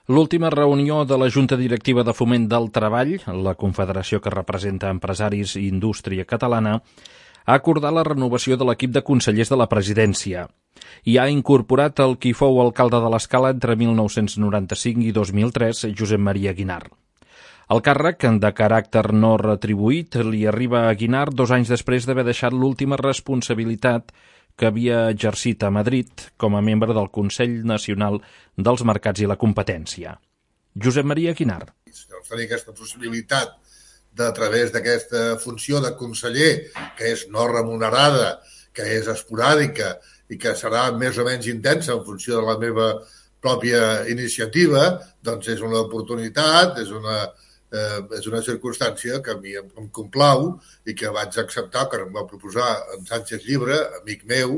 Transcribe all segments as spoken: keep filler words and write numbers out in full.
L'última reunió de la Junta Directiva de Foment del Treball, la confederació que representa empresaris i indústria catalana, ha acordat la renovació de l'equip de consellers de la presidència i ha incorporat el qui fou alcalde de l'Escala entre mil nou-cents noranta-cinc i dos mil tres, Josep Maria Guinart. El càrrec, de caràcter no retribuït, li arriba a Guinart dos anys després d'haver deixat l'última responsabilitat que havia exercit a Madrid com a membre del Consell Nacional dels Mercats i la Competència. Josep Maria Guinart. Doncs tenir aquesta possibilitat de, a través d'aquesta funció de conseller, que és no remunerada, que és esporàdica i que serà més o menys intensa en funció de la meva pròpia iniciativa, doncs és una oportunitat, és una, eh, és una circumstància que a mi em, em complau i que vaig acceptar, que em va proposar en Sánchez Llibre, amic meu,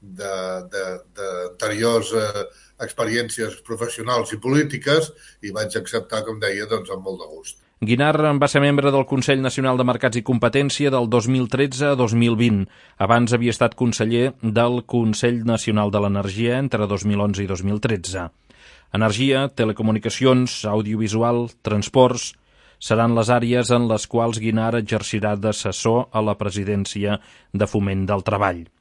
d'anteriors eh, experiències professionals i polítiques, i vaig acceptar, com deia, doncs, amb molt de gust. Guinart va ser membre del Consell Nacional de Mercats i Competència del dos mil tretze a dos mil vint. Abans havia estat conseller del Consell Nacional de l'Energia entre dos mil onze i dos mil tretze. Energia, telecomunicacions, audiovisual, transports seran les àrees en les quals Guinart exercirà d'assessor a la presidència de Foment del Treball.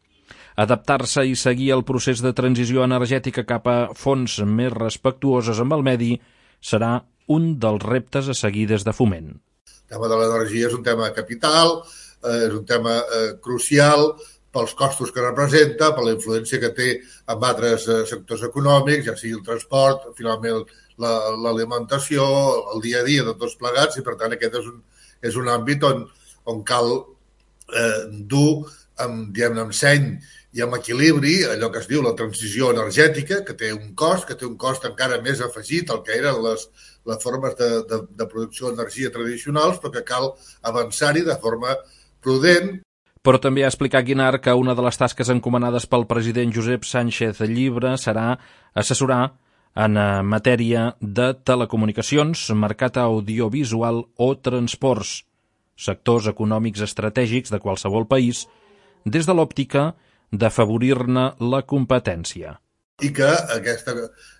Adaptar-se i seguir el procés de transició energètica cap a fonts més respectuoses amb el medi serà un dels reptes a seguir des de Foment. El tema de l'energia és un tema capital, eh, és un tema eh, crucial pels costos que representa, per la influència que té en altres eh, sectors econòmics, ja sigui el transport, finalment l'alimentació, el dia a dia de tots plegats, i per tant aquest és un, és un àmbit on, on cal eh, dur amb, diguem-ne, amb seny i amb equilibri allò que es diu la transició energètica, que té un cost, que té un cost encara més afegit al que eren les, les formes de, de, de producció d'energia tradicionals, però que cal avançar-hi de forma prudent. Però també ha explicat Guinart que una de les tasques encomanades pel president Josep Sánchez Llibre serà assessorar en matèria de telecomunicacions, mercat audiovisual o transports, sectors econòmics estratègics de qualsevol país, des de l'òptica d'afavorir-ne la competència. I que aquest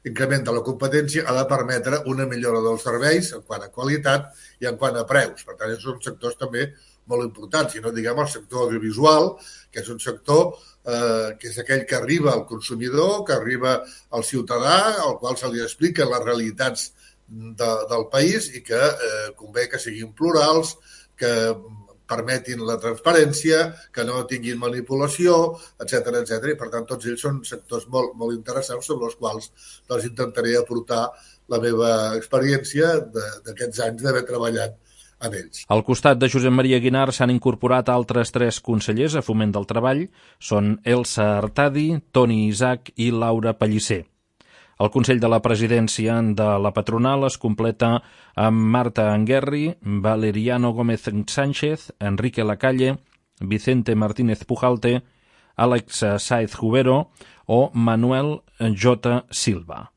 increment de la competència ha de permetre una millora dels serveis en quant a qualitat i en quant a preus. Per tant, són sectors també molt importants. Si no diguem el sector audiovisual, que és un sector eh, que és aquell que arriba al consumidor, que arriba al ciutadà, al qual se li expliquen les realitats de, del país i que eh, convé que siguin plurals, que permetin la transparència, que no tinguin manipulació, etcètera, etcètera. I, per tant, tots ells són sectors molt, molt interessants sobre els quals doncs, intentaré aportar la meva experiència d'aquests anys d'haver treballat en ells. Al costat de Josep Maria Guinart s'han incorporat altres tres consellers a Foment del Treball. Són Elsa Artadi, Toni Isaac i Laura Pellicer. El Consell de la Presidència de la Patronal es completa amb Marta Anguerri, Valeriano Gómez Sánchez, Enrique Lacalle, Vicente Martínez Pujalte, Àlex Sáez Jubero o Manuel J. Silva.